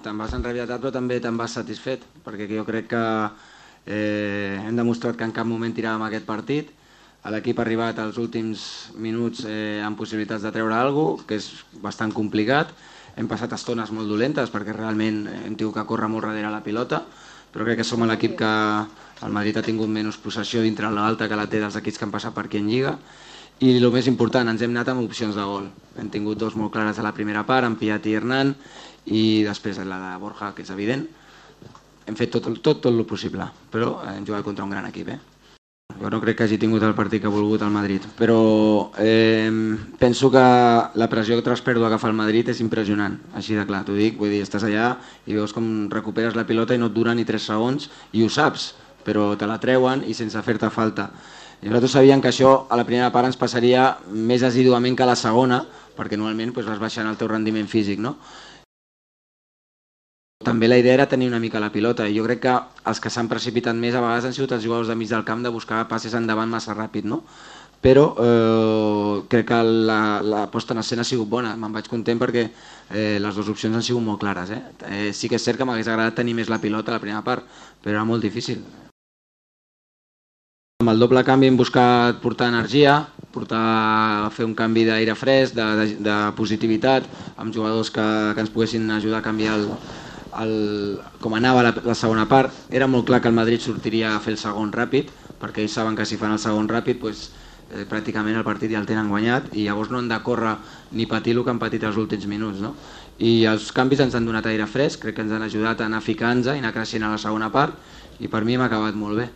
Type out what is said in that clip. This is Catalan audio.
te'n vas enrabietat però també te'n vas satisfet, perquè jo crec que hem demostrat que en cap moment tiràvem aquest partit. L'equip ha arribat als últims minuts amb possibilitats de treure alguna cosa, que és bastant complicat. Hem passat estones molt dolentes perquè realment hem tingut que córrer molt darrere la pilota, però crec que som l'equip que el Madrid ha tingut menys possessió dintre l'alta que la té dels equips que han passat per aquí en Lliga. I el més important, ens hem anat amb opcions de gol. Hem tingut dos molt clares a la primera part, en Piat i Hernán, i després la de Borja, que és evident. Hem fet tot el possible, però hem jugat contra un gran equip. Jo no crec que hagi tingut el partit que ha volgut el Madrid, però penso que la pressió tras pèrdua que fa el Madrid és impressionant, així de clar, t'ho dic, vull dir, estàs allà i veus com recuperes la pilota i no et dura ni 3 segons i ho saps, però te la treuen i sense fer-te falta. I nosaltres sabíem que això a la primera part ens passaria més assiduament que a la segona, perquè normalment vas baixant el teu rendiment físic, no? També la idea era tenir una mica la pilota i jo crec que els que s'han precipitat més a vegades han sigut els jugadors de mig del camp de buscar passes endavant massa ràpid, no? Però crec que la posta en escena ha sigut bona, me'n vaig content perquè les dues opcions han sigut molt clares. Sí que és cert que m'hagués agradat tenir més la pilota a la primera part, però era molt difícil. Amb el doble canvi hem buscat portar energia, fer un canvi d'aire fresc, de positivitat, amb jugadors que ens poguessin ajudar a canviar com anava la segona part. Era molt clar que el Madrid sortiria a fer el segon ràpid, perquè ells saben que si fan el segon ràpid pràcticament el partit ja el tenen guanyat i llavors no han de córrer ni patir el que han patit els últims minuts. I els canvis ens han donat aire fresc, crec que ens han ajudat a anar ficant-nos i anar creixent a la segona part i per mi m'ha acabat molt bé.